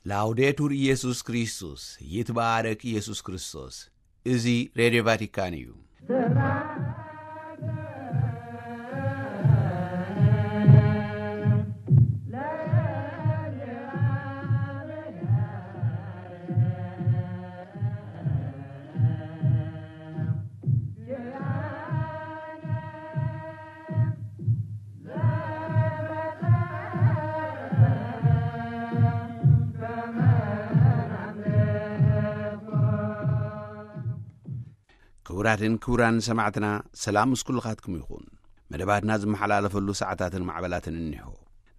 ላውዴቱር ኢየሱስ ክርስቶስ፣ ይትባረክ ኢየሱስ ክርስቶስ። እዚ ሬድዮ ቫቲካን እዩ። ክቡራትን ክቡራን ሰማዕትና፣ ሰላም ምስ ኩልኻትኩም ይኹን። መደባትና ዝመሓላለፈሉ ሰዓታትን ማዕበላትን እኒሆ።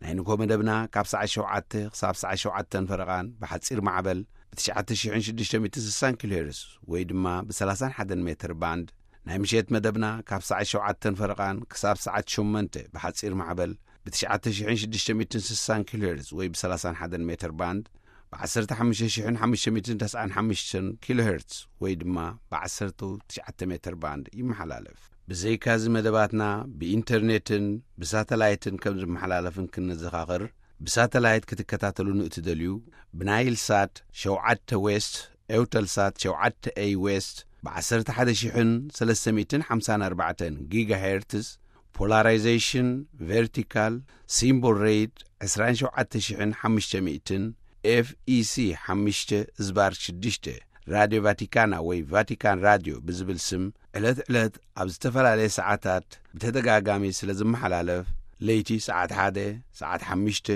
ናይ ንግሆ መደብና ካብ ሰዓት ሸውዓተ ክሳብ ሰዓት ሸውዓተን ፈረቓን ብሓጺር ማዕበል ብ ትሽዓተ ሽሕን ሽዱሽተ ሚእትን ስሳን ኪሎ ሄርዝ ወይ ድማ ብ30 ሜትር ባንድ፣ ናይ ምሸት መደብና ካብ ሰዓት ሸውዓተን ፈረቓን ክሳብ ሰዓት ሸሞንተ ብሓጺር ማዕበል ብ ትሽዓተ ሽሕን ሽዱሽተ ሚእትን ስሳን ኪሎ ሄርዝ ወይ ብ30 ሜትር ባንድ፣ ብ ዓሰርተ ሓሙሽተ ሽሕን ሓሙሽተ ሚእትን ተስዓን ሓሙሽተን ኪሎ ሄርዝ ወይ ድማ ብ ዓሰርተ ትሽዓተ ሜትር ባንድ ይመሓላለፍ። ብዘይካዚ መደባትና ብኢንተርኔትን ብሳተላይትን ከም ዝመሓላለፍን ክንዘኻኽር፣ ብሳተላይት ክትከታተሉ ንእትደልዩ፣ ብናይል ሳት ሸውዓተ ዌስት፣ ኤውተልሳት ሸውዓተ ኤይ ዌስት፣ ብ ዓሰርተ ሓደ ሽሕን ሰለስተ ሚእትን ሓምሳን ኣርባዕተን ጊጋሄርትዝ፣ ፖላራይዜሽን ቨርቲካል፣ ሲምቦል ሬት ዕስራን ሸውዓተ ሽሕን ሓሙሽተ ሚእትን፣ ኤፍ ኢ ሲ ሓሙሽተ ዝባር ሽዱሽተ፣ ራድዮ ቫቲካና ወይ ቫቲካን ራድዮ ብዝብል ስም ዕለት ዕለት ኣብ ዝተፈላለየ ሰዓታት ብተደጋጋሚ ስለ ዝመሓላለፍ፣ ለይቲ ሰዓት ሓደ፣ ሰዓት ሓሙሽተ፣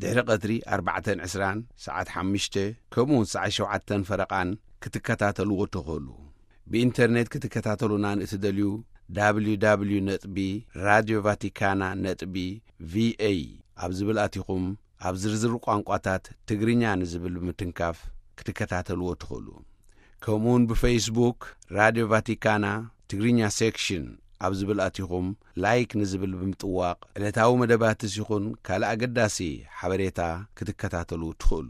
ድሕሪ ቀትሪ ኣርባዕተን ዕስራን፣ ሰዓት ሓሙሽተ፣ ከምኡ እውን ሰዓት ሸውዓተን ፈረቓን ክትከታተልዎ ትኽእሉ። ብኢንተርኔት ክትከታተሉና ንእትደልዩ፣ ደብሊው ደብሊው ደብሊው ነጥቢ ራድዮ ቫቲካና ነጥቢ ቪ ኤ ኣብ ዝብል ኣቲኹም፣ ኣብ ዝርዝር ቋንቋታት ትግርኛ ንዝብል ብምትንካፍ ክትከታተልዎ ትኽእሉ። ከምኡውን ብፌስቡክ ራድዮ ቫቲካና ትግርኛ ሴክሽን ኣብ ዝብል ኣቲኹም፣ ላይክ ንዝብል ብምጥዋቕ፣ ዕለታዊ መደባትስ ይኹን ካልእ ኣገዳሲ ሓበሬታ ክትከታተሉ ትኽእሉ።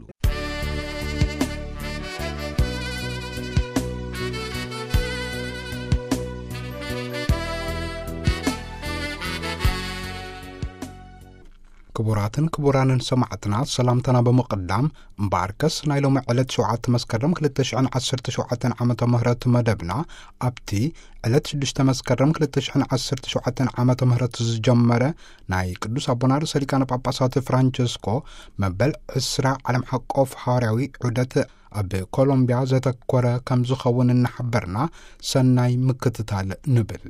ክቡራትን ክቡራንን ሰማዕትና፣ ሰላምታና ብምቕዳም፣ እምበኣርከስ ናይ ሎሚ ዕለት ሸውዓተ መስከረም ክልተ ሽሕን ዓሰርተ ሸውዓተን ዓመተ ምህረት መደብና ኣብቲ ዕለት ሽዱሽተ መስከረም ክልተ ሽሕን ዓሰርተ ሸውዓተን ዓመተ ምህረት ዝጀመረ ናይ ቅዱስ ኣቦና ርእሰ ሊቃነ ጳጳሳት ፍራንቸስኮ መበል ዕስራ ዓለም ሓቆፍ ሃዋርያዊ ዑደት ኣብ ኮሎምቢያ ዘተኮረ ከም ዝኸውን እናሓበርና፣ ሰናይ ምክትታል ንብል።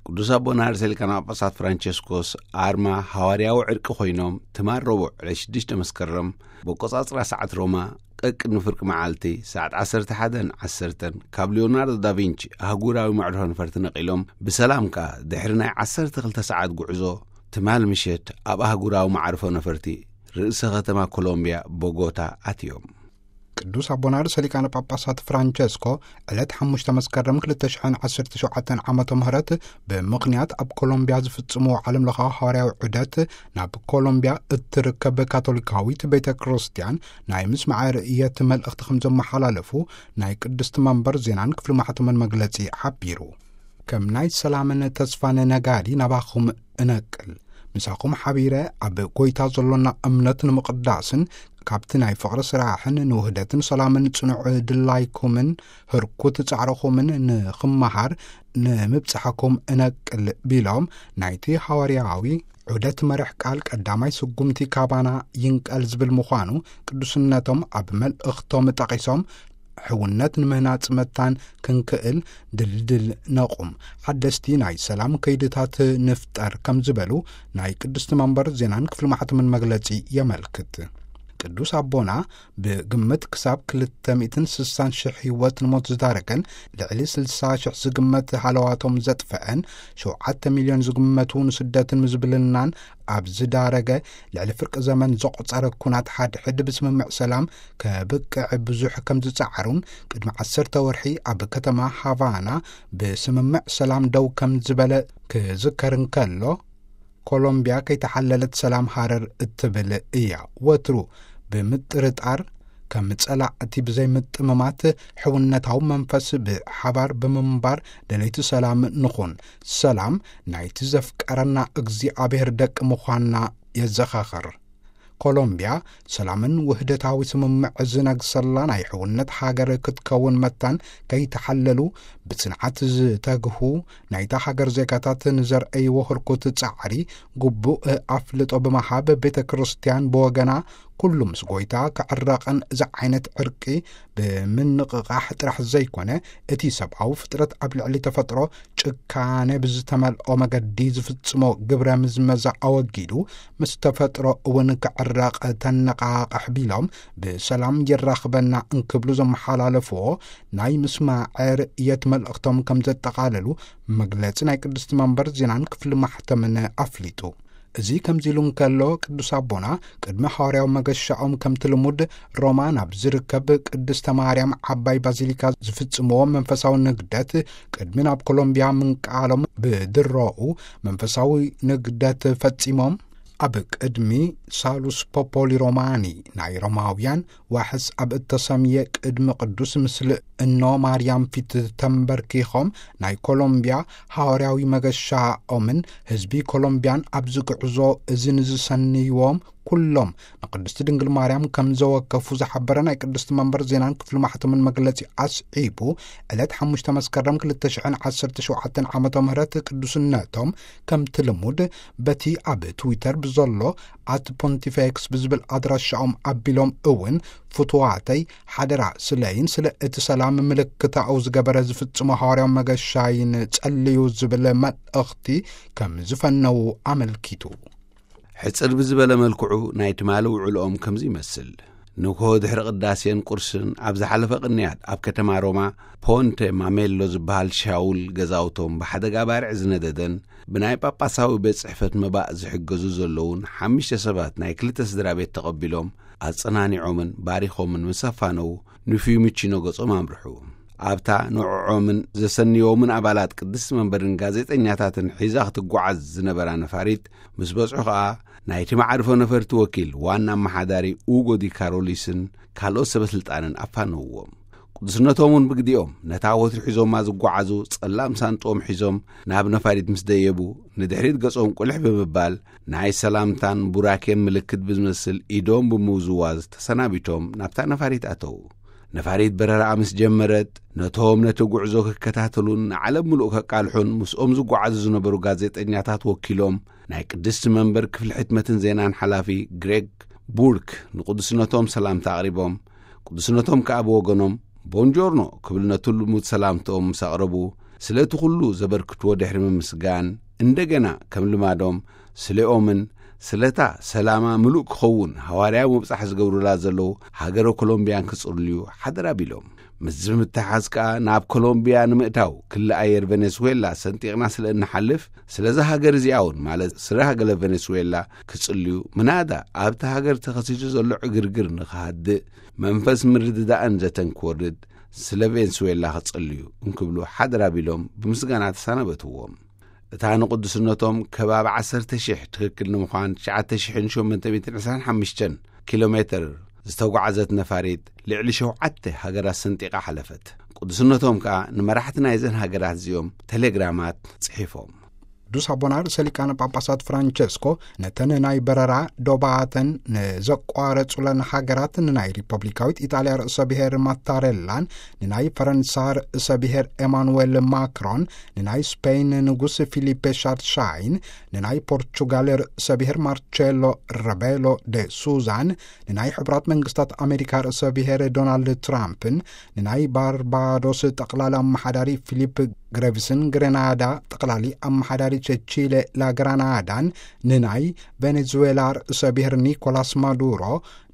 ቅዱስ ኣቦና ርእሰ ሊቃነ ጳጳሳት ፍራንቸስኮስ ኣርማ ሃዋርያዊ ዕርቂ ኮይኖም፣ ትማል ረቡዕ ዕለት ሽዱሽተ መስከረም ብኣቆጻጽራ ሰዓት ሮማ ቀቅድሚ ፍርቂ መዓልቲ ሰዓት ዓሰርተ ሓደን ዓሰርተን ካብ ሊዮናርዶ ዳቪንቺ ኣህጉራዊ መዕርፎ ነፈርቲ ነቒሎም ብሰላም ከኣ ድሕሪ ናይ ዓሰርተ ክልተ ሰዓት ጉዕዞ ትማል ምሸት ኣብ ኣህጉራዊ መዓርፎ ነፈርቲ ርእሰ ከተማ ኮሎምቢያ ቦጎታ ኣትዮም። ቅዱስ ኣቦና ርእሰ ሊቃነ ጳጳሳት ፍራንቸስኮ ዕለት ሓሙሽተ መስከረም ክልተ ሽሕን ዓሰርተ ሸውዓተን ዓመተ ምህረት ብምኽንያት ኣብ ኮሎምቢያ ዝፍጽምዎ ዓለም ለኻዊ ሃዋርያዊ ዑደት ናብ ኮሎምቢያ እትርከብ ካቶሊካዊት ቤተ ክርስቲያን ናይ ምስማዐ ርእየት መልእኽቲ ከም ዘመሓላለፉ ናይ ቅድስቲ መንበር ዜናን ክፍሊ ማሕተምን መግለጺ ሓቢሩ። ከም ናይ ሰላምን ተስፋን ነጋዲ ናባኹም እነቅል። ምሳኹም ሓቢረ ኣብ ጐይታ ዘሎና እምነት ንምቕዳስን ካብቲ ናይ ፍቕሪ ስራሕን ንውህደትን ሰላምን ጽኑዕ ድላይኩምን ህርኩት ጻዕርኹምን ንኽመሃር ንምብጻሕኩም እነቅል ቢሎም፣ ናይቲ ሃዋርያዊ ዑደት መርሕ ቃል ቀዳማይ ስጉምቲ ካባና ይንቀል ዝብል ምዃኑ ቅዱስነቶም ኣብ መልእኽቶም ጠቒሶም፣ ሕውነት ንምህናጽ መታን ክንክእል ድልድል ነቑም፣ ሓደስቲ ናይ ሰላም ከይድታት ንፍጠር ከም ዝበሉ ናይ ቅድስቲ መንበር ዜናን ክፍሊ ማሕተምን መግለጺ የመልክት። ቅዱስ ኣቦና ብግምት ክሳብ ክልተ ሚእትን ስሳን ሽሕ ህይወት ንሞት ዝዳረገን ልዕሊ ስልሳ ሽሕ ዝግመት ሃለዋቶም ዘጥፈአን ሸውዓተ ሚልዮን ዝግመቱ ንስደትን ምዝብልናን ኣብ ዝዳረገ ልዕሊ ፍርቂ ዘመን ዘቑጸረ ኩናት ሓድሕድ ብስምምዕ ሰላም ከብቅዕ ብዙሕ ከም ዝጸዓሩን ቅድሚ ዓሰርተ ወርሒ ኣብ ከተማ ሃቫና ብስምምዕ ሰላም ደው ከም ዝበለ ክዝከር እንከሎ፣ ኮሎምቢያ ከይተሓለለት ሰላም ሃረር እትብል እያ። ወትሩ ብምጥርጣር ከም ጸላእቲ ብዘይምጥምማት ሕውነታዊ መንፈስ ብሓባር ብምንባር ደለይቲ ሰላም ንኹን። ሰላም ናይቲ ዘፍቀረና እግዚኣብሔር ደቂ ምዃንና የዘኻኽር። ኮሎምቢያ ሰላምን ውህደታዊ ስምምዕ ዝነግሰላ ናይ ሕውነት ሃገር ክትከውን መታን ከይተሓለሉ ብጽንዓት ዝተግሁ ናይታ ሃገር ዜጋታት ንዘርእይዎ ህርኩት ጻዕሪ ግቡእ ኣፍልጦ ብምሃብ፣ ቤተ ክርስቲያን ብወገና ኩሉ ምስ ጎይታ ክዕረቕን እዚ ዓይነት ዕርቂ ብምንቕቓሕ ጥራሕ ዘይኮነ፣ እቲ ሰብኣዊ ፍጥረት ኣብ ልዕሊ ተፈጥሮ ጭካነ ብዝተመልኦ መገዲ ዝፍጽሞ ግብረ ምዝመዛ ኣወጊዱ፣ ምስ ተፈጥሮ እውን ክዕረቕ ተነቓቕሕ ቢሎም፣ ብሰላም የራኽበና እንክብሉ ዘመሓላለፍዎ ናይ ምስማዕ ርእየት መልእኽቶም ከም ዘጠቓለሉ መግለጺ ናይ ቅድስቲ መንበር ዜናን ክፍሊ ማሕተምን ኣፍሊጡ። እዚ ከምዚ ኢሉ እንከሎ፣ ቅዱስ ኣቦና ቅድሚ ሃዋርያዊ መገሻኦም ከምቲ ልሙድ ሮማ ናብ ዝርከብ ቅድስተ ማርያም ዓባይ ባዚሊካ ዝፍጽምዎ መንፈሳዊ ንግደት ቅድሚ ናብ ኮሎምቢያ ምንቃሎም ብድሮኡ መንፈሳዊ ንግደት ፈጺሞም ኣብ ቅድሚ ሳሉስ ፖፖሊ ሮማኒ ናይ ሮማውያን ዋሕስ ኣብ እተሰምየ ቅድሚ ቅዱስ ምስሊ እኖ ማርያም ፊት ተንበርኪኾም ናይ ኮሎምቢያ ሃዋርያዊ መገሻኦምን ህዝቢ ኮሎምቢያን ኣብዚ ጉዕዞ እዚ ንዝሰንይዎም ኩሎም ንቅድስቲ ድንግል ማርያም ከም ዘወከፉ ዝሓበረ ናይ ቅድስቲ መንበር ዜናን ክፍሊ ማሕተምን መግለጺ ኣስዒቡ፣ ዕለት ሓሙሽተ መስከረም ክልተ ሽሕን ዓሰርተ ሸውዓተን ዓመተ ምህረት ቅዱስነቶም ከምቲ ልሙድ በቲ ኣብ ትዊተር ብዘሎ ኣት ፖንቲፌክስ ብዝብል ኣድራሻኦም ኣቢሎም እውን፣ ፍቱዋተይ ሓደራ ስለይን ስለ እቲ ሰላም ምልክታኡ ዝገበረ ዝፍጽሞ ሃዋርያዊ መገሻይን ጸልዩ ዝብል መልእኽቲ ከም ዝፈነዉ ኣመልኪቱ። ሕጽር ብዝበለ መልክዑ ናይ ትማሊ ውዕልኦም ከምዚ ይመስል። ንግሆ ድሕሪ ቅዳሴን ቁርስን ኣብ ዝሓለፈ ቅንያት ኣብ ከተማ ሮማ ፖንተ ማሜሎ ዝበሃል ሻውል ገዛውቶም ብሓደጋ ባርዕ ዝነደደን ብናይ ጳጳሳዊ ቤት ጽሕፈት መባእ ዝሕገዙ ዘለዉን ሓሙሽተ ሰባት ናይ ክልተ ስድራ ቤት ተቐቢሎም ኣጸናኒዖምን ባሪኾምን ምስ ኣፋነዉ ንፊዩሚቺኖ ገጾም ኣምርሑ። ኣብታ ንዕዖምን ዘሰንዮምን ኣባላት ቅድስቲ መንበርን ጋዜጠኛታትን ሒዛ ክትጓዓዝ ዝነበራ ነፋሪት ምስ በጽሑ ኸኣ ናይቲ መዓርፎ ነፈርቲ ወኪል ዋና ኣመሓዳሪ ኡጎ ዲ ካሮሊስን ካልኦት ሰበ ስልጣንን ኣፋነውዎም። ቅዱስነቶም እውን ብግዲኦም ነታ ወትሩ ሒዞማ ዝጓዓዙ ጸላም ሳንጥኦም ሒዞም ናብ ነፋሪት ምስ ደየቡ ንድሕሪት ገጾም ቁልሕ ብምባል ናይ ሰላምታን ቡራኬን ምልክት ብዝመስል ኢዶም ብምውዝዋዝ ተሰናቢቶም ናብታ ነፋሪት ኣተዉ። ነፋሪት በረራኣ ምስ ጀመረት ነቶም ነቲ ጉዕዞ ክከታተሉን ንዓለም ምሉእ ከቃልሑን ምስኦም ዝጓዓዙ ዝነበሩ ጋዜጠኛታት ወኪሎም ናይ ቅድስቲ መንበር ክፍሊ ሕትመትን ዜናን ሓላፊ ግሬግ ቡርክ ንቅዱስነቶም ሰላምታ ኣቕሪቦም፣ ቅዱስነቶም ከኣ ብወገኖም ቦንጆርኖ ክብል ነቲ ልሙድ ሰላምትኦም ምስ ኣቕረቡ፣ ስለቲ ኩሉ ዘበርክትዎ ድሕሪ ምምስጋን፣ እንደገና ከም ልማዶም ስለኦምን ስለታ ሰላማ ምሉእ ክኸውን ሃዋርያዊ ምብጻሕ ዝገብሩላ ዘለዉ ሃገረ ኮሎምቢያን ክጽልዩ ሓደራ ቢሎም። ምስዚ ብምትሓዝ ከኣ ናብ ኮሎምቢያ ንምእታው ክሊ ኣየር ቬኔዙዌላ ሰንጢቕና ስለ እንሓልፍ፣ ስለዛ ሃገር እዚኣ እውን ማለት ስረ ሃገረ ቬኔዙዌላ ክጽልዩ፣ ምናዳ ኣብቲ ሃገር ተኸሲቱ ዘሎ ዕግርግር ንኽሃድእ፣ መንፈስ ምርድዳእን ዘተን ክወርድ፣ ስለ ቬንስዌላ ክጽልዩ እንክብሉ ሓደራ ቢሎም ብምስጋና ተሰናበትዎም። እታ ንቅዱስነቶም ከባቢ ዓሰርተ ሽሕ ትኽክል ንምዃን ትሽዓተ ሽሕን ሸሞንተ ሚእትን ዕስራን ሓሙሽተን ኪሎ ሜትር ዝተጓዕዘት ነፋሪት ልዕሊ ሸውዓተ ሃገራት ሰንጢቓ ሓለፈት። ቅዱስነቶም ከኣ ንመራሕቲ ናይዘን ሃገራት እዚኦም ቴሌግራማት ጽሒፎም። ቅዱስ ኣቦና ርእሰ ሊቃነ ጳጳሳት ፍራንቸስኮ ነተን ናይ በረራ ዶባተን ንዘቋረጹለን ሃገራት ንናይ ሪፐብሊካዊት ኢጣልያ ርእሰ ብሔር ማታሬላን፣ ንናይ ፈረንሳ ርእሰ ብሔር ኤማኑዌል ማክሮን፣ ንናይ ስፔን ንጉስ ፊሊፔ ሻርሻይን፣ ንናይ ፖርቹጋል ርእሰ ብሔር ማርቼሎ ረቤሎ ደ ሱዛን፣ ንናይ ሕቡራት መንግስታት ኣሜሪካ ርእሰ ብሔር ዶናልድ ትራምፕን፣ ንናይ ባርባዶስ ጠቕላሊ ኣመሓዳሪ ፊሊፕ ግሬቭስን፣ ግሬናዳ ጠቕላሊ ኣመሓዳሪ ቸቺለ ላግራናዳን፣ ንናይ ቬኔዙዌላ ርእሰ ብሔር ኒኮላስ ማዱሮ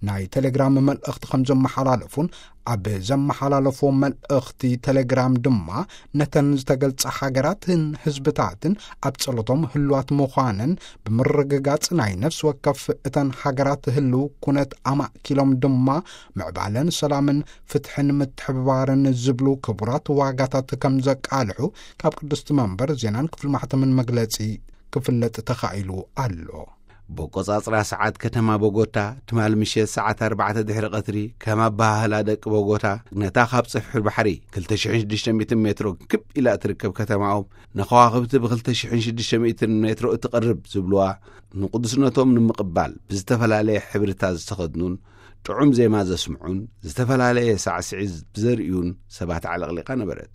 ናይ ቴሌግራም መልእኽቲ ከም ዘመሓላለፉን፣ ኣብ ዘመሓላለፎ መልእኽቲ ቴሌግራም ድማ ነተን ዝተገልጻ ሃገራትን ህዝብታትን ኣብ ጸሎቶም ህልዋት ምዃነን ብምርግጋጽ፣ ናይ ነፍሲ ወከፍ እተን ሃገራት ህልው ኩነት ኣማእኪሎም ድማ ምዕባለን ሰላምን ፍትሕን ምትሕብባርን ዝብሉ ክቡራት ዋጋታት ከም ዘቃልሑ ካብ ቅድስቲ መንበር ዜናን ክፍሊ ማሕተምን መግለጺ ክፍለጥ ተኻኢሉ ኣሎ። ብቆጻጽራ ሰዓት ከተማ ቦጎታ፣ ትማል ምሸት ሰዓት ኣርባዕተ ድሕሪ ቀትሪ፣ ከም ኣበሃህላ ደቂ ቦጎታ፣ ነታ ካብ ጽፍሒ ባሕሪ ክልተ ሽሕን ሽዱሽተ ሚእትን ሜትሮ ክብ ኢላ እትርከብ ከተማኦም፣ ንከዋኽብቲ ብክልተ ሽሕን ሽዱሽተ ሚእትን ሜትሮ እትቐርብ ዝብልዋ፣ ንቅዱስነቶም ንምቕባል ብዝተፈላለየ ሕብርታት ዝተኸድኑን ጥዑም ዜማ ዘስምዑን ዝተፈላለየ ሳዕስዒት ብዘርእዩን ሰባት ኣዕለቕሊቓ ነበረት።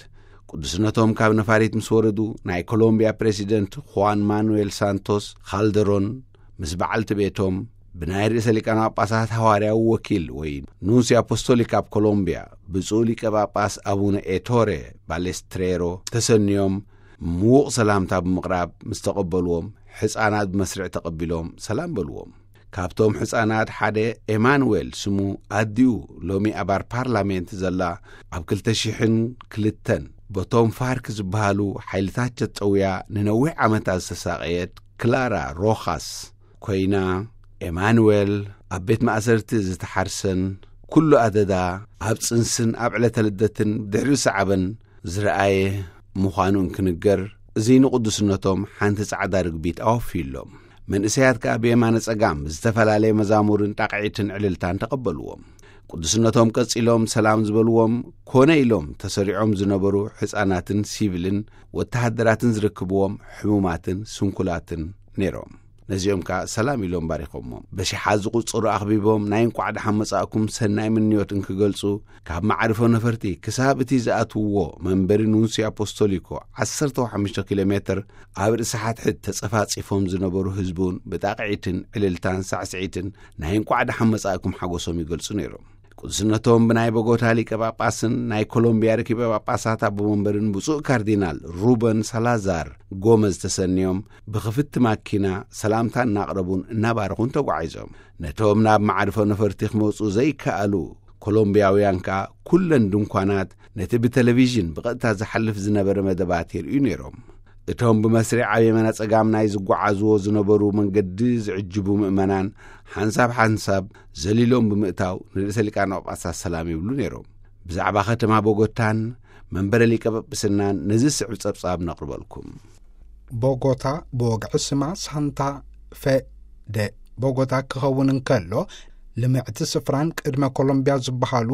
ቅዱስነቶም ካብ ነፋሪት ምስ ወረዱ፣ ናይ ኮሎምቢያ ፕሬዚደንት ኹዋን ማኑኤል ሳንቶስ ካልደሮን ምስ በዓልቲ ቤቶም፣ ብናይ ርእሰ ሊቃነ ጳጳሳት ሃዋርያዊ ወኪል ወይ ኑንሲ ኣፖስቶሊክ ኣብ ኮሎምቢያ፣ ብፁዕ ሊቀ ጳጳስ ኣቡነ ኤቶሬ ባሌስትሬሮ ተሰንዮም፣ ምዉቕ ሰላምታ ብምቕራብ ምስ ተቐበልዎም፣ ሕፃናት ብመስርዕ ተቐቢሎም ሰላም በልዎም። ካብቶም ሕፃናት ሓደ ኤማኑኤል ስሙ ኣዲኡ፣ ሎሚ ኣባል ፓርላሜንት ዘላ፣ ኣብ ክልተ ሽሕን ክልተን በቶም ፋርክ ዝበሃሉ ሓይልታት ተጠውያ ንነዊሕ ዓመታት ዝተሳቐየት ክላራ ሮኻስ ኮይና፣ ኤማኑኤል ኣብ ቤት ማእሰርቲ ዝተሓርሰን ኩሉ ኣደዳ ኣብ ጽንስን ኣብ ዕለተ ልደትን ድሕሪ ሰዓበን ዝረኣየ ምዃኑ እንክንገር፣ እዚ ንቅዱስነቶም ሓንቲ ጻዕዳ ርግቢት ኣወፍዩሎም። መንእሰያት ከኣ ብየማነ ጸጋም ዝተፈላለየ መዛሙርን ጣቕዒትን ዕልልታን ተቐበልዎም። ቅዱስነቶም ቀጺሎም ሰላም ዝበልዎም፣ ኮነ ኢሎም ተሰሪዖም ዝነበሩ ሕፃናትን ሲቪልን ወተሃደራትን ዝርክብዎም ሕሙማትን ስንኩላትን ነይሮም። ነዚኦም ከኣ ሰላም ኢሎም ባሪኾሞም። በሽሓት ዝቑጸሩ ኣኽቢቦም ናይ እንቋዕ ደሓን መጻእኩም ሰናይ ምንዮት እንክገልጹ፣ ካብ መዓርፎ ነፈርቲ ክሳብ እቲ ዝኣትውዎ መንበሪ ኑንሲ ኣፖስቶሊኮ ዓሰርተ ሓሙሽተ ኪሎ ሜትር ኣብ ርእሲ ሓድሕድ ተጸፋጺፎም ዝነበሩ ህዝቢ እውን ብጣቕዒትን ዕልልታን ሳዕስዒትን ናይ እንቋዕ ደሓን መጻእኩም ሓጎሶም ይገልጹ ነይሮም። ቅዱስነቶም ብናይ ቦጎታ ሊቀ ጳጳስን ናይ ኮሎምቢያ ርኪበ ጳጳሳት ኣቦ መንበርን ብፁዕ ካርዲናል ሩበን ሳላዛር ጎመዝ ተሰንዮም ብኽፍቲ ማኪና ሰላምታ እናቕረቡን እናባረኹን ተጓዒዞም። ነቶም ናብ መዓርፎ ነፈርቲ ክመጹ ዘይከኣሉ ኮሎምቢያውያን ከኣ ኩለን ድንኳናት ነቲ ብቴሌቪዥን ብቐጥታ ዝሓልፍ ዝነበረ መደባት የርእዩ ነይሮም። እቶም ብመስርዕ ኣብ የማነ ጸጋም ናይ ዝጓዓዝዎ ዝነበሩ መንገዲ ዝዕጅቡ ምእመናን ሓንሳብ ሓንሳብ ዘሊሎም ብምእታው ንርእሰ ሊቃነ ጳጳሳት ሰላም ይብሉ ነይሮም። ብዛዕባ ከተማ ቦጎታን መንበረ ሊቀ ጳጳስናን ነዚ ስዕብ ጸብጻብ ነቕርበልኩም። ቦጎታ፣ ብወግዒ ስማ ሳንታ ፌ ደ ቦጎታ ክኸውን እንከሎ፣ ልምዕቲ ስፍራን ቅድመ ኮሎምቢያ ዝበሃሉ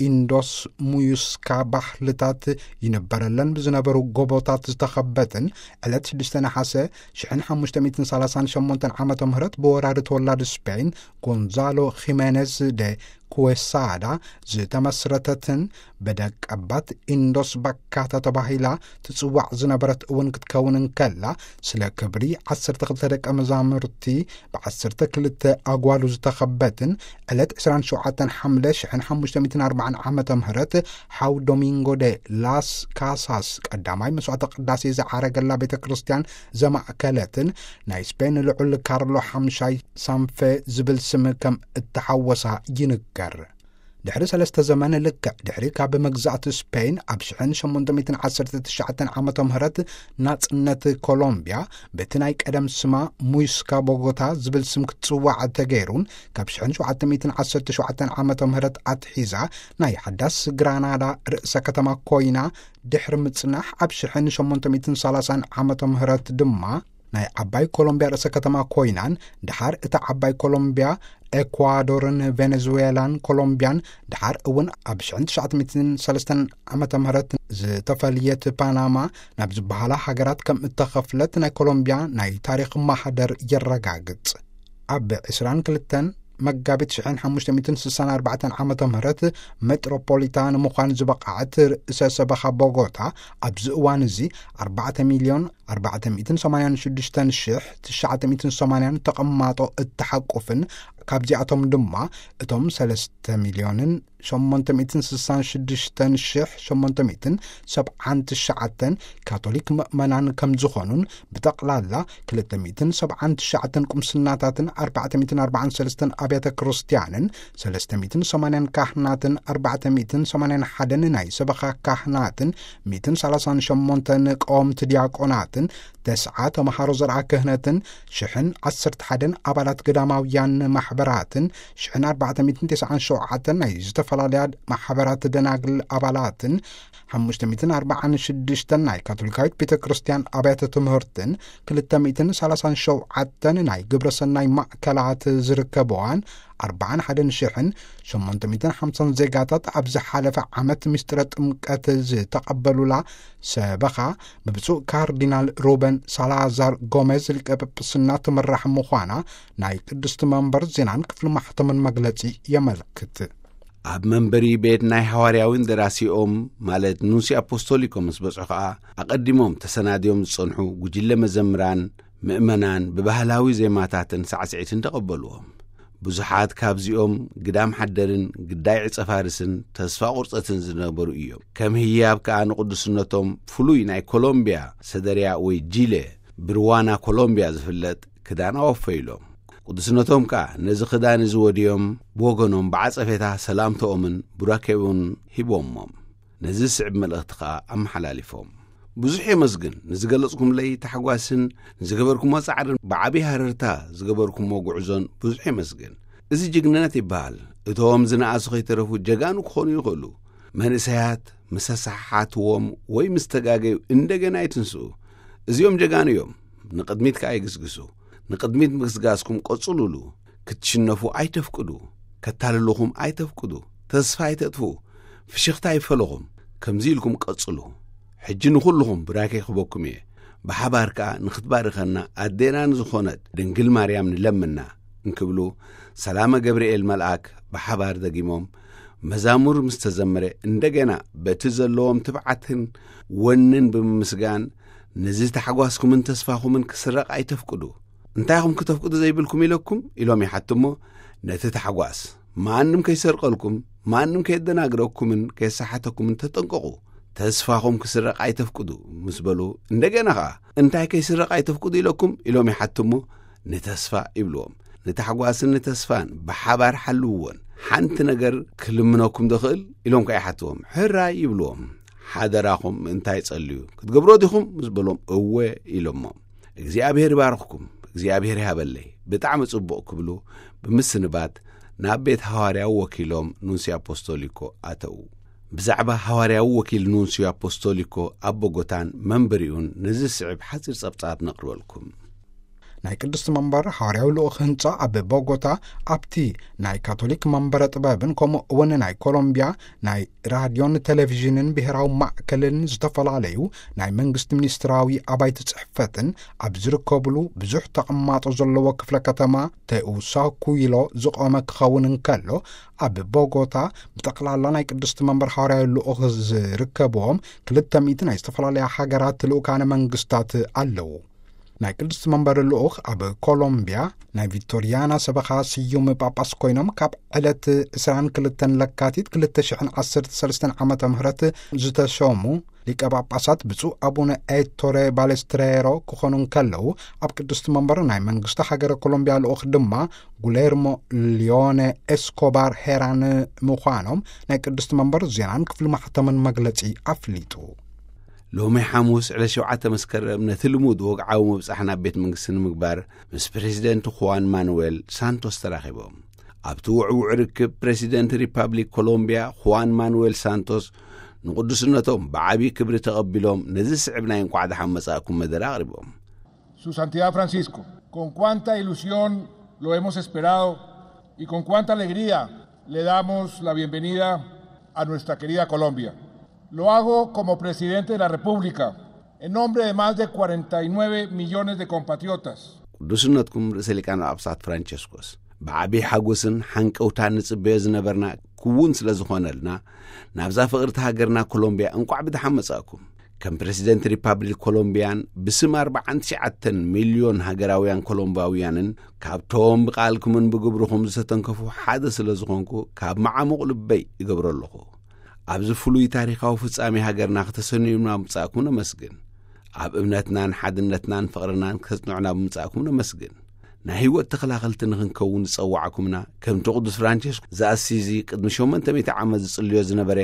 ኢንዶስ ሙዩስካ ባህልታት ይንበረለን ብዝነበሩ ጎቦታት ዝተኸበትን፣ ዕለት ሽዱሽተ ነሓሰ ሽሕን ሓሙሽተ ሚእትን ሰላሳን ሸሞንተን ዓመተ ምህረት ብወራሪ ተወላዲ ስፔን ጎንዛሎ ኺሜነዝ ደ ኩዌሳዳ ዝተመስረተትን ብደቀባት ኢንዶስ ባካታ ተባሂላ ትጽዋዕ ዝነበረት እውን ክትከውን እንከላ፣ ስለ ክብሪ ዓሰርተ ክልተ ደቀ መዛሙርቲ ብዓሰርተ ክልተ ኣጓሉ ዝተኸበትን፣ ዕለት ዕስራን ሸውዓተን ሓምለ ሽሕን ሓሙሽተ ሚእትን ኣርባዓን ዓመተ ምህረት ሓው ዶሚንጎ ደ ላስ ካሳስ ቀዳማይ መስዋዕተ ቅዳሴ ዝዓረገላ ቤተ ክርስቲያን ዘማእከለትን፣ ናይ ስፔን ልዑል ካርሎ ሓምሻይ ሳንፌ ዝብል ስም ከም እተሓወሳ ይንገር። ድሕሪ ሰለስተ ዘመን፣ ልክዕ ድሕሪ ካብ መግዛእቲ ስፔን ኣብ ሽሕን ሸሞንተ ሚእትን ዓሰርተ ትሽዓተን ዓመተ ምህረት ናጽነት ኮሎምቢያ፣ በቲ ናይ ቀደም ስማ ሙይስካ ቦጎታ ዝብል ስም ክትጽዋዕ ተገይሩን፣ ካብ ሽሕን ሸውዓተ ሚእትን ዓሰርተ ሸውዓተን ዓመተ ምህረት ኣትሒዛ ናይ ሓዳስ ግራናዳ ርእሰ ከተማ ኮይና ድሕሪ ምጽናሕ፣ ኣብ ሽሕን ሸሞንተ ሚእትን ሰላሳን ዓመተ ምህረት ድማ ናይ ዓባይ ኮሎምቢያ ርእሰ ከተማ ኮይናን፣ ድሓር እታ ዓባይ ኮሎምቢያ፣ ኤኳዶርን ቬኔዙዌላን ኮሎምቢያን፣ ድሓር እውን ኣብ ሽሕን ትሽዓተ ሚእትን ሰለስተን ዓመተ ምህረት ዝተፈልየት ፓናማ ናብ ዝበሃላ ሃገራት ከም እተኸፍለት ናይ ኮሎምቢያ ናይ ታሪኽ ማህደር የረጋግጽ። ኣብ ዕስራን ክልተን መጋቢት ሽሕን ሓሙሽተ ሚእትን ስሳን ኣርባዕተን ዓመተ ምህረት ሜትሮፖሊታ ንምዃን ዝበቕዐት ርእሰ ሰበኻ ቦጎታ፣ ኣብዚ እዋን እዚ ኣርባዕተ ሚልዮን ኣርባዕተ ሚእትን ሰማንያን ሽዱሽተን ሽሕ ትሽዓተ ሚእትን ሰማንያን ተቐማጦ እትሓቁፍን፣ ካብዚኣቶም ድማ እቶም ሰለስተ ሚልዮንን ሸሞንተ ሚእትን ስሳን ሽዱሽተን ሽሕ ሸሞንተ ሚእትን ሰብዓን ትሽዓተን ካቶሊክ ምእመናን ከም ዝኾኑን፣ ብጠቕላላ ክልተ ሚእትን ሰብዓን ትሽዓተን ቁምስናታትን ኣርባዕተ ሚእትን ኣርባዓን ሰለስተን ኣብያተ ክርስቲያንን ሰለስተ ሚእትን ሰማንያን ካህናትን ኣርባዕተ ሚእትን ሰማንያን ሓደን ናይ ሰበኻ ካህናትን ሚእትን ሰላሳን ሸሞንተን ቀወምቲ ዲያቆናትን መናፍስትን፣ ተስዓ ተምሃሮ ዘርዓ ክህነትን፣ ሽሕን ዓሰርተ ሓደን ኣባላት ገዳማውያን ማሕበራትን፣ ሽሕን ኣርባዕተ ሚእትን ተስዓን ሸውዓተን ናይ ዝተፈላለያ ማሕበራት ደናግል ኣባላትን፣ ሓሙሽተ ሚእትን ኣርባዓን ሽዱሽተን ናይ ካቶሊካዊት ቤተ ክርስቲያን ኣብያተ ትምህርትን፣ ክልተ ሚእትን ሰላሳን ሸውዓተን ናይ ግብረ ሰናይ ማእከላት ዝርከበዋን፣ ኣርባዓን ሓደን ሽሕን ሸሞንተ ሚእትን ሓምሳን ዜጋታት ኣብ ዝሓለፈ ዓመት ምስጢረ ጥምቀት ዝተቐበሉላ ሰበኻ፣ ብብፁዕ ካርዲናል ሩበን ሳላዛር ጎሜዝ ሊቀ ጵጵስና ትምራሕ ምዃና ናይ ቅድስቲ መንበር ዜናን ክፍሊ ማሕተምን መግለጺ የመልክት። ኣብ መንበሪ ቤት ናይ ሃዋርያዊ እንደራሲኦም፣ ማለት ኑንሲ ኣፖስቶሊኮ ምስ በጽሑ ኸኣ፣ ኣቐዲሞም ተሰናድዮም ዝጸንሑ ጉጅለ መዘምራን፣ ምእመናን ብባህላዊ ዜማታትን ሳዕስዒትን ተቐበልዎም። ብዙሓት ካብዚኦም ግዳም ሓደርን ግዳይ ዕጸ ፋርስን ተስፋ ቁርጸትን ዝነበሩ እዮም። ከም ህያብ ከኣ ንቅዱስነቶም ፍሉይ ናይ ኮሎምቢያ ሰደርያ ወይ ጂለ፣ ብርዋና ኮሎምቢያ ዝፍለጥ ክዳን ኣወፈዩሎም። ቅዱስነቶም ከኣ ነዚ ክዳን እዚ ወድዮም ብወገኖም ብዓጸፌታ ሰላምተኦምን ቡራኬኡን ሂቦሞም። ነዚ ዝስዕብ መልእኽቲ ከኣ ኣመሓላሊፎም። ብዙሕ የመስግን። ንዝገለጽኩምለይ ታሕጓስን ንዝገበርኩሞ ጻዕርን ብዓቢ ሃረርታ ዝገበርኩሞ ጉዕዞን ብዙሕ የመስግን። እዚ ጅግንነት ይበሃል። እቶም ዝነኣሱ ከይተረፉ ጀጋኑ ክኾኑ ይኽእሉ። መንእሰያት ምስ ኣሰሓሓትዎም ወይ ምስ ተጋገዩ እንደገና ይትንስኡ። እዚኦም ጀጋኑ እዮም። ንቕድሚት ከኣ ይግስግሱ። ንቕድሚት ምግስጋስኩም ቀጽሉሉ። ክትሽነፉ ኣይተፍቅዱ። ከታልሉኹም ኣይተፍቅዱ። ተስፋ ኣይተጥፍኡ። ፍሽኽታ ይፈለኹም። ከምዚ ኢልኩም ቀጽሉ። ሕጂ ንኹልኹም ብራኬ ክበኩም እየ። ብሓባር ከኣ ንኽትባርኸና ኣዴና ንዝኾነት ድንግል ማርያም ንለምና እንክብሉ ሰላመ ገብርኤል መልኣክ ብሓባር ደጊሞም መዛሙር ምስ ተዘመረ እንደገና በቲ ዘለዎም ትብዓትን ወንን ብምምስጋን ነዚ ታሕጓስኩምን ተስፋኹምን ክስረቕ ኣይተፍቅዱ። እንታይ ኢኹም ክተፍቅዱ ዘይብልኩም ኢለኩም ኢሎም ይሓትሞ። ነቲ ታሕጓስ ማንም ከይሰርቀልኩም፣ ማንም ከየደናግረኩምን ከየሰሓተኩምን ተጠንቀቑ። ተስፋኹም ክስረቕ ኣይተፍቅዱ ምስ በሉ እንደገና ኸኣ እንታይ ከይስረቕ ኣይተፍቅዱ ኢለኩም ኢሎም ይሓትሞ። ንተስፋ ይብልዎም። ንታሕጓስን ንተስፋን ብሓባር ሓልውዎን። ሓንቲ ነገር ክልምነኩም ዶ ኽእል ኢሎም ከኣ ይሓትዎም። ሕራይ ይብልዎም። ሓደራኹም እንታይ ጸልዩ ክትገብሮ ዲኹም ምስ በሎም እወ ኢሎሞ። እግዚኣብሔር ይባርኽኩም፣ እግዚኣብሔር ይሃበለይ፣ ብጣዕሚ ጽቡቕ ክብሉ ብምስንባት ናብ ቤት ሃዋርያዊ ወኪሎም ኑንሲ ኣፖስቶሊኮ ኣተዉ። ብዛዕባ ሃዋርያዊ ወኪል ኑንሲ ኣፖስቶሊኮ ኣብ ቦጎታን መንበሪኡን ነዚ ዝስዕብ ሓጺር ጸብጻብ ነቕርበልኩም። ናይ ቅድስቲ መንበር ሃዋርያዊ ልኡኽ ህንጻ ኣብ ቦጎታ ኣብቲ ናይ ካቶሊክ መንበረ ጥበብን ከምኡ እውን ናይ ኮሎምቢያ ናይ ራድዮን ቴሌቪዥንን ብሔራዊ ማእከልን ዝተፈላለዩ ናይ መንግስቲ ሚኒስትራዊ ኣባይቲ ጽሕፈትን ኣብ ዝርከብሉ ብዙሕ ተቐማጦ ዘለዎ ክፍለ ከተማ ቴኡሳኩይሎ ዝቖመ ክኸውን እንከሎ፣ ኣብ ቦጎታ ብጠቕላላ ናይ ቅድስቲ መንበር ሃዋርያዊ ልኡኽ ዝርከብዎም ክልተ ሚእቲ ናይ ዝተፈላለያ ሃገራት ልኡካነ መንግስታት ኣለዉ። ናይ ቅድስቲ መንበር ልኡኽ ኣብ ኮሎምቢያ ናይ ቪክቶሪያና ሰበኻ ስዩም ጳጳስ ኮይኖም ካብ ዕለት ዕስራን ክልተን ለካቲት ክልተ ሽሕን ዓሰርተ ሰለስተን ዓመተ ምህረት ዝተሸሙ ሊቀ ጳጳሳት ብፁዕ ኣቡነ ኤቶሬ ባሌስትሬሮ ክኾኑ እንከለዉ፣ ኣብ ቅድስቲ መንበር ናይ መንግስቲ ሃገረ ኮሎምቢያ ልኡኽ ድማ ጉሌርሞ ሊዮነ ኤስኮባር ሄራን ምዃኖም ናይ ቅድስቲ መንበር ዜናን ክፍሊ ማሕተምን መግለጺ ኣፍሊጡ። ሎሚ ሓሙስ ዕለት ሸውዓተ መስከረም ነቲ ልሙድ ወግዓዊ ምብጻሕ ናብ ቤት መንግስቲ ንምግባር ምስ ፕሬዚደንት ኹዋን ማኑዌል ሳንቶስ ተራኺቦም። ኣብቲ ውዕውዕ ርክብ ፕሬዚደንት ሪፓብሊክ ኮሎምቢያ ኹዋን ማኑዌል ሳንቶስ ንቅዱስነቶም ብዓቢ ክብሪ ተቐቢሎም ነዚ ዝስዕብ ናይ እንቋዕ ደሓን መጻእኩም መደረ ኣቕሪቦም። Su Santidad Francisco, con cuánta ilusión lo hemos esperado y con cuánta alegría le damos la bienvenida a nuestra querida Colombia. Lo hago como presidente de la República, en nombre de más de cuarenta y nueve millones de compatriotas. ቅዱስነትኩም ርእሰ ሊቃነ ጳጳሳት ፍራንቸስኮስ፣ ብዓቢ ሓጎስን ሓንቀውታን ንጽበዮ ዝነበርና ክውን ስለ ዝኾነልና፣ ናብዛ ፍቕርቲ ሃገርና ኮሎምቢያ እንቋዕ ብደሓን መጻእኩም። ከም ፕረሲደንት ሪፓብሊክ ኮሎምቢያን ብስም ኣርባዓን ትሽዓተን ሚልዮን ሃገራውያን ኮሎምባውያንን፣ ካብቶም ብቓልኩምን ብግብርኹም ዝተተንከፉ ሓደ ስለ ዝኾንኩ፣ ካብ መዓሙቕ ልበይ እገብሮ ኣለኹ። ኣብዚ ፍሉይ ታሪኻዊ ፍጻሜ ሃገርና ክተሰንዩና ብምጻእኩም ነመስግን። ኣብ እምነትናን ሓድነትናን ፍቕርናን ክተጽንዑና ብምጻእኩም ነመስግን። ናይ ህይወት ተኸላኸልቲ ንኽንከውን ዝጸዋዕኩምና፣ ከምቲ ቅዱስ ፍራንቸስኮ ዘኣሲዚ ቅድሚ ሸሞንተ ሚእቲ ዓመት ዝጽልዮ ዝነበረ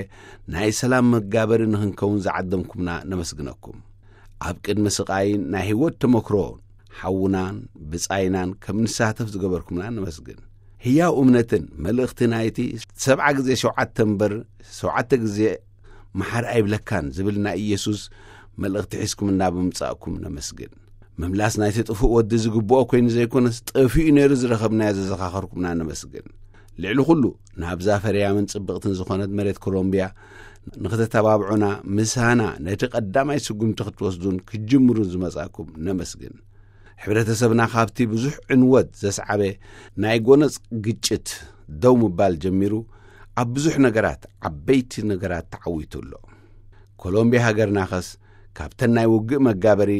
ናይ ሰላም መጋበሪ ንኽንከውን ዝዓደምኩምና ነመስግነኩም። ኣብ ቅድሚ ስቓይን ናይ ህይወት ተመክሮን ሓውናን ብጻይናን ከም ንሳተፍ ዝገበርኩምና ነመስግን። ህያው እምነትን መልእኽቲ ናይቲ ሰብዓ ግዜ ሸውዓተ እምበር ሸውዓተ ግዜ መሓር ኣይብለካን ዝብል ናይ ኢየሱስ መልእኽቲ ሒዝኩም እናብምጻእኩም ነመስግን። ምምላስ ናይቲ ጥፉእ ወዲ ዝግብኦ ኮይኑ ዘይኮነስ ጠፊኡ ነይሩ ዝረኸብናዮ ዘዘኻኸርኩምና ነመስግን። ልዕሊ ኩሉ ናብዛ ፈርያምን ጽብቕትን ዝኾነት መሬት ኮሎምቢያ ንኽተተባብዑና ምሳና ነቲ ቀዳማይ ስጉምቲ ክትወስዱን ክትጅምሩን ዝመጻእኩም ነመስግን። ሕብረተሰብና ካብቲ ብዙሕ ዕንወት ዘስዓበ ናይ ጎነጽ ግጭት ደው ምባል ጀሚሩ ኣብ ብዙሕ ነገራት ዓበይቲ ነገራት ተዓዊቱ ኣሎ። ኮሎምቢያ ሃገርናኸስ ካብተን ናይ ውግእ መጋበሪ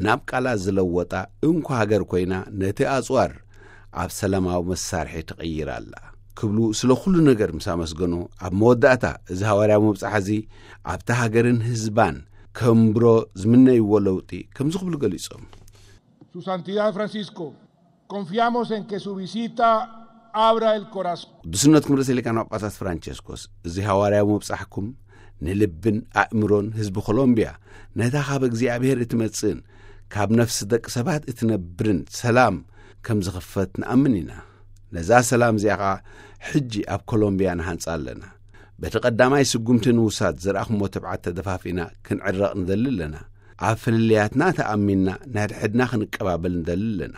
ናብ ቃላት ዝለወጣ እንኮ ሃገር ኮይና ነቲ ኣጽዋር ኣብ ሰላማዊ መሳርሒ ትቕይር ኣላ ክብሉ ስለ ኩሉ ነገር ምስ ኣመስገኑ ኣብ መወዳእታ እዚ ሃዋርያዊ ምብጻሕ እዚ ኣብታ ሃገርን ህዝባን ከንብሮ ዝምነይዎ ለውጢ ከምዚ ክብሉ ገሊጾም። Su Santidad Francisco, confiamos en que su visita abra el corazón. ቅዱስነትኩም ርእሰ ሊቃነ ጳጳሳት ፍራንቸስኮስ እዚ ሃዋርያዊ ምብጻሕኩም ንልብን ኣእምሮን ህዝቢ ኮሎምቢያ ነታ ካብ እግዚኣብሔር እትመጽእን ካብ ነፍሲ ደቂ ሰባት እትነብርን ሰላም ከም ዝኽፈት ንኣምን ኢና። ነዛ ሰላም እዚኣ ኸኣ ሕጂ ኣብ ኮሎምቢያ ንሃንጻ ኣለና። በቲ ቀዳማይ ስጉምቲ ንውሳድ ዝረኣኹሞ ትብዓት ተደፋፊና ክንዕረቕ ንደሊ ኣለና። ኣብ ፍልልያትና ተኣሚንና ንሕድሕድና ክንቀባበል ንደሊ ኣለና።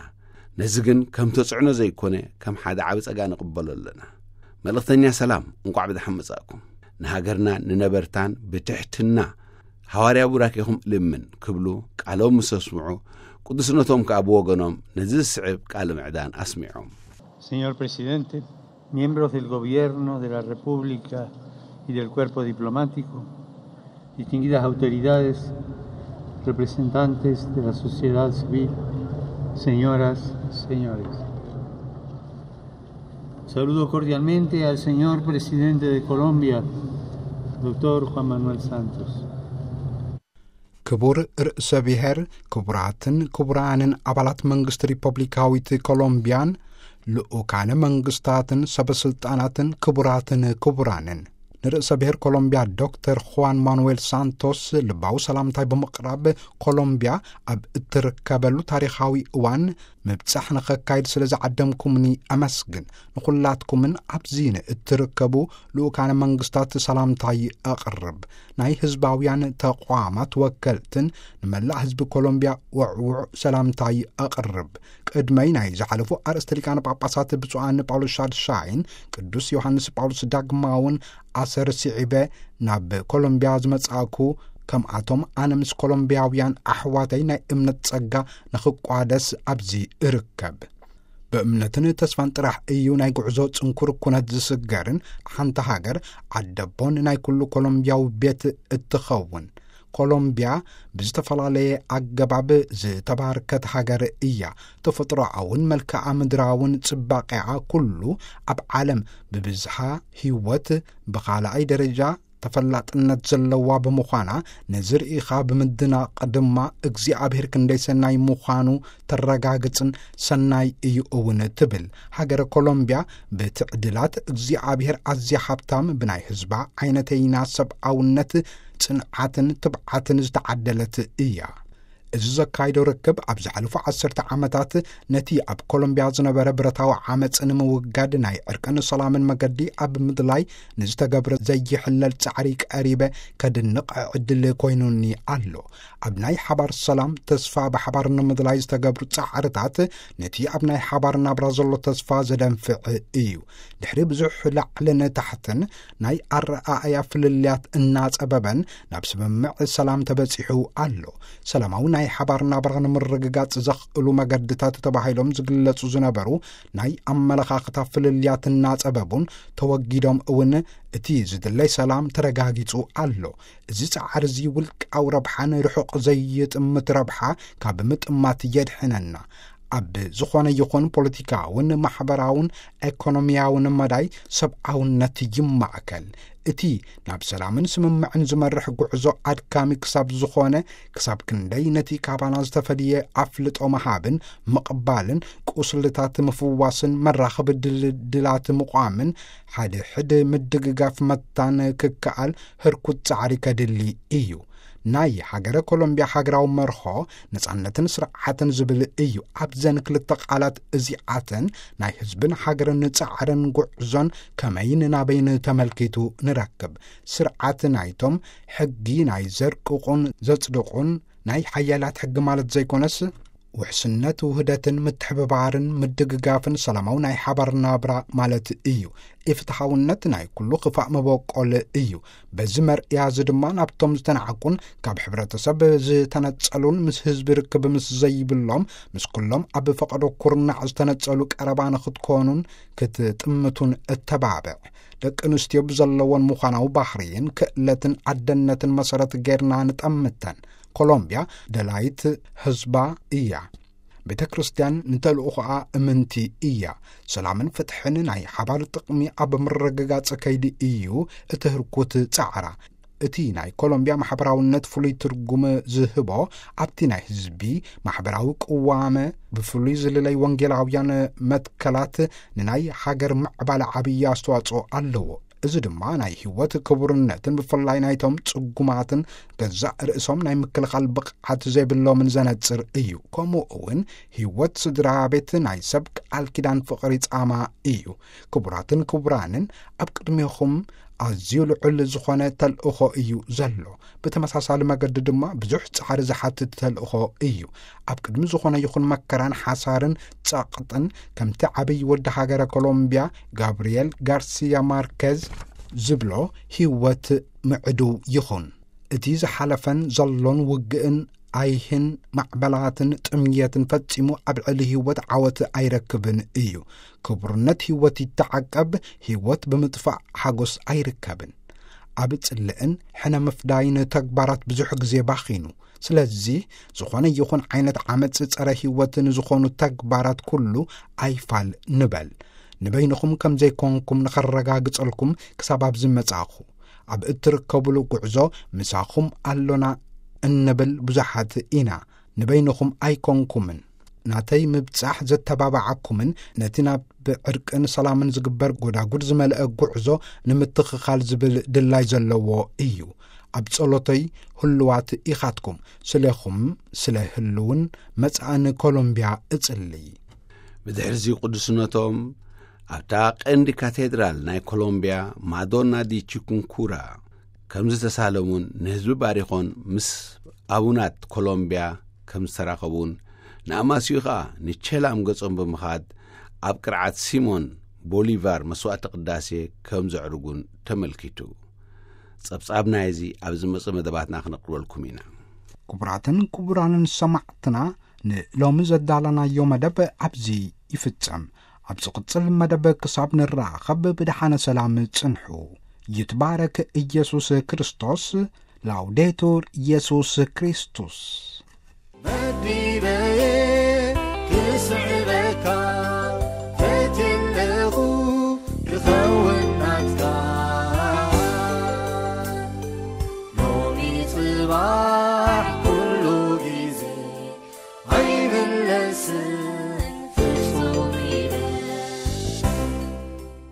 ነዚ ግን ከም ተጽዕኖ ዘይኮነ ከም ሓደ ዓቢ ጸጋ ንቕበሎ ኣለና። መልእኽተኛ ሰላም፣ እንቋዕ ብደሓን መጻእኩም። ንሃገርና ንነበርታን ብትሕትና ሃዋርያ ቡራኬኹም ልምን ክብሉ ቃሎም ምስ ኣስምዑ፣ ቅዱስነቶም ከኣ ብወገኖም ነዚ ዝስዕብ ቃለ ምዕዳን ኣስሚዖም። Señor presidente, miembros del gobierno de la República y del cuerpo diplomático, distinguidas autoridades, representantes de la sociedad civil, señoras, señores. Saludo cordialmente al señor presidente de Colombia, doctor Juan Manuel Santos. ክቡር ርእሰ ብሔር፣ ክቡራትን ክቡራንን ኣባላት መንግስቲ ሪፐብሊካዊት ኮሎምቢያን ልኡካነ መንግስታትን ሰበስልጣናትን፣ ክቡራትን ክቡራንን፣ ንርእሰ ብሔር ኮሎምቢያ ዶክተር ኹዋን ማኑዌል ሳንቶስ ልባዊ ሰላምታይ ብምቕራብ፣ ኮሎምቢያ ኣብ እትርከበሉ ታሪኻዊ እዋን ምብጻሕ ንኸካይድ ስለ ዝዓደምኩምኒ ኣመስግን። ንኹላትኩምን ኣብዚ ንእትርከቡ ልኡካነ መንግስታት ሰላምታይ ኣቕርብ። ናይ ህዝባውያን ተቋማት ወከልትን ንመላእ ህዝቢ ኮሎምቢያ ውዕዉዕ ሰላምታይ ኣቕርብ። ቅድመይ ናይ ዝሓለፉ ኣርእስተ ሊቃነ ጳጳሳት ብፁዓን ጳውሎስ ሻድሻይን ቅዱስ ዮሃንስ ጳውሎስ ዳግማውን ኣሰር ስዒበ ናብ ኮሎምቢያ ዝመጻእኩ፣ ከምኣቶም ኣነ ምስ ኮሎምቢያውያን ኣሕዋተይ ናይ እምነት ጸጋ ንኽቋደስ ኣብዚ እርከብ። ብእምነትን ተስፋን ጥራሕ እዩ ናይ ጉዕዞ ጽንኩር ኩነት ዝስገርን ሓንቲ ሃገር ዓደቦን ናይ ኩሉ ኮሎምቢያዊ ቤት እትኸውን። ኮሎምቢያ ብዝተፈላለየ ኣገባብ ዝተባርከት ሃገር እያ። ተፈጥሮኣውን መልክዓ ምድራውን ጽባቐኣ ኩሉ ኣብ ዓለም ብብዝሓ ህይወት ብኻልኣይ ደረጃ ተፈላጥነት ዘለዋ ብምዃና፣ ነዚ ርኢኻ ብምድናቕ ድማ እግዚኣብሔር ክንደይ ሰናይ ምዃኑ ተረጋግጽን ሰናይ እዩ እውን ትብል። ሃገረ ኮሎምቢያ ብትዕድላት እግዚኣብሔር ኣዝያ ሃብታም፣ ብናይ ህዝባ ዓይነተይና ሰብኣውነት፣ ጽንዓትን ትብዓትን ዝተዓደለት እያ። እዚ ዘካይዶ ርክብ ኣብ ዝሓለፉ ዓሰርተ ዓመታት ነቲ ኣብ ኮሎምቢያ ዝነበረ ብረታዊ ዓመጽ ንምውጋድ ናይ ዕርቅን ሰላምን መገዲ ኣብ ምድላይ ንዝተገብረ ዘይሕለል ጻዕሪ ቀሪበ ከድንቕ ዕድል ኮይኑኒ ኣሎ። ኣብ ናይ ሓባር ሰላም ተስፋ ብሓባር ንምድላይ ዝተገብሩ ጻዕርታት ነቲ ኣብ ናይ ሓባር ናብራ ዘሎ ተስፋ ዘደንፍዕ እዩ። ድሕሪ ብዙሕ ላዕልን ታሕትን ናይ ኣረኣእያ ፍልልያት እናጸበበን ናብ ስምምዕ ሰላም ተበጺሑ ኣሎ። ሰላማዊ ናይ ሓባር ናብራ ንምርግጋጽ ዘኽእሉ መገድታት ተባሂሎም ዝግለጹ ዝነበሩ ናይ ኣመለኻኽታ ፍልልያት እናጸበቡን ተወጊዶም እውን እቲ ዝድለይ ሰላም ተረጋጊጹ ኣሎ። እዚ ጻዕሪ እዚ ውልቃዊ ረብሓን ርሑቕ ዘይጥምት ረብሓ ካብ ምጥማት የድሕነና። ኣብ ዝኾነ ይኹን ፖለቲካውን ማሕበራውን ኤኮኖሚያውን መዳይ ሰብኣውነት ይማእከል። እቲ ናብ ሰላምን ስምምዕን ዝመርሕ ጉዕዞ ኣድካሚ ክሳብ ዝኾነ፣ ክሳብ ክንደይ ነቲ ካባና ዝተፈልየ ኣፍልጦ ምሃብን ምቕባልን፣ ቁስልታት ምፍዋስን መራኸቢ ድልድላት ምቋምን፣ ሓደ ሕድ ምድግጋፍ መታን ክከኣል ህርኩት ጻዕሪ ከድሊ እዩ። ናይ ሃገረ ኮሎምቢያ ሃገራዊ መርሆ ነጻነትን ስርዓትን ዝብል እዩ። ኣብዘን ክልተ ቃላት እዚኣተን ናይ ህዝብን ሃገርን ጻዕርን ጉዕዞን ከመይን ናበይን ተመልኪቱ ንረክብ። ስርዓት ናይቶም ሕጊ ናይ ዘርቅቑን ዘጽድቑን ናይ ሓያላት ሕጊ ማለት ዘይኮነስ፣ ውሕስነት፣ ውህደትን ምትሕብባርን ምድግጋፍን ሰላማዊ ናይ ሓባር ናብራ ማለት እዩ። ኢፍትሓውነት ናይ ኩሉ ክፋእ መበቆል እዩ። በዚ መርያ እዚ ድማ ናብቶም ዝተናዕቁን ካብ ሕብረተሰብ ዝተነጸሉን ምስ ህዝቢ ርክብ ምስ ዘይብሎም ምስ ኩሎም ኣብ ፈቐዶ ኩርናዕ ዝተነጸሉ ቀረባ ንኽትኮኑን ክትጥምቱን እተባብዕ። ደቂ ኣንስትዮ ብዘለዎን ምዃናዊ ባህርይን ክእለትን ኣደነትን መሰረት ጌርና ንጠምተን። ኮሎምቢያ ደላይት ህዝባ እያ። ቤተ ክርስቲያን ንተልእኾኣ እምንቲ እያ። ሰላምን ፍትሕን ናይ ሓባር ጥቕሚ ኣብ ምርግጋጽ ከይዲ እዩ እቲ ህርኩት ጻዕራ። እቲ ናይ ኮሎምቢያ ማሕበራውነት ፍሉይ ትርጉም ዝህቦ ኣብቲ ናይ ህዝቢ ማሕበራዊ ቅዋመ ብፍሉይ ዝልለይ ወንጌላውያን መትከላት ንናይ ሃገር ምዕባለ ዓብዪ ኣስተዋጽኦ ኣለዎ። እዚ ድማ ናይ ህይወት ክቡርነትን ብፍላይ ናይቶም ጽጉማትን ገዛእ ርእሶም ናይ ምክልኻል ብቕዓት ዘይብሎምን ዘነጽር እዩ። ከምኡ እውን ህይወት ስድራ ቤት ናይ ሰብ ቃል ኪዳን ፍቕሪ ጻማ እዩ። ክቡራትን ክቡራንን፣ ኣብ ቅድሜኹም ኣዝዩ ልዑል ዝኾነ ተልእኾ እዩ ዘሎ። ብተመሳሳሊ መገዲ ድማ ብዙሕ ጻዕሪ ዝሓትት ተልእኾ እዩ። ኣብ ቅድሚ ዝኾነ ይኹን መከራን ሓሳርን ጸቕጥን ከምቲ ዓብይ ወዲ ሃገረ ኮሎምቢያ ጋብርኤል ጋርሲያ ማርኬዝ ዝብሎ ህይወት ምዕዱው ይኹን። እቲ ዝሓለፈን ዘሎን ውግእን ኣይህን ማዕበላትን ጥምየትን ፈጺሙ ኣብ ዕሊ ህይወት ዓወት ኣይረክብን እዩ። ክቡርነት ህይወት ይተዓቀብ፣ ህይወት ብምጥፋእ ሓጎስ ኣይርከብን። ኣብ ጽልእን ሕነ ምፍዳይን ተግባራት ብዙሕ ግዜ ባኺኑ። ስለዚ ዝኾነ ይኹን ዓይነት ዓመጽ ጸረ ህይወት ንዝኾኑ ተግባራት ኩሉ ኣይፋል ንበል። ንበይንኹም ከም ዘይኮንኩም ንኸረጋግጸልኩም ክሳብ ኣብዚ መጻኹ። ኣብ እትርከቡሉ ጉዕዞ ምሳኹም ኣሎና እንብል ብዙሓት ኢና። ንበይንኹም ኣይኮንኩምን። ናተይ ምብጻሕ ዘተባብዓኩምን ነቲ ናብ ዕርቅን ሰላምን ዝግበር ጎዳጉድ ዝመልአ ጉዕዞ ንምትኽኻል ዝብል ድላይ ዘለዎ እዩ። ኣብ ጸሎተይ ህሉዋት ኢኻትኩም። ስለኹም፣ ስለ ህልውን መጻእን ኮሎምቢያ እጽልይ። ብድሕርዚ ቅዱስነቶም ኣብታ ቀንዲ ካቴድራል ናይ ኮሎምቢያ ማዶና ዲ ቺኩንኩራ ከም ዝተሳለሙን ንህዝቢ ባሪኾን ምስ ኣቡናት ኮሎምቢያ ከም ዝተራኸቡን ንኣማስዩ ኸኣ ንቼ ላም ገጾም ብምኻድ ኣብ ቅርዓት ሲሞን ቦሊቫር መስዋዕቲ ቅዳሴ ከም ዘዕርጉን ተመልኪቱ። ጸብጻብ ናይዚ ኣብ ዝመጽእ መደባትና ክነቕርበልኩም ኢና። ክቡራትን ክቡራንን ሰማዕትና፣ ንሎሚ ዘዳለናዮ መደብ ኣብዚ ይፍጸም። ኣብ ዝቕጽል መደብ ክሳብ ንራኸብ ብደሓነ ሰላም ጽንሑ። ይትባረክ ኢየሱስ ክርስቶስ። ላውዴቱር ኢየሱስ ክርስቶስ። መዲበየ ክስዕበካ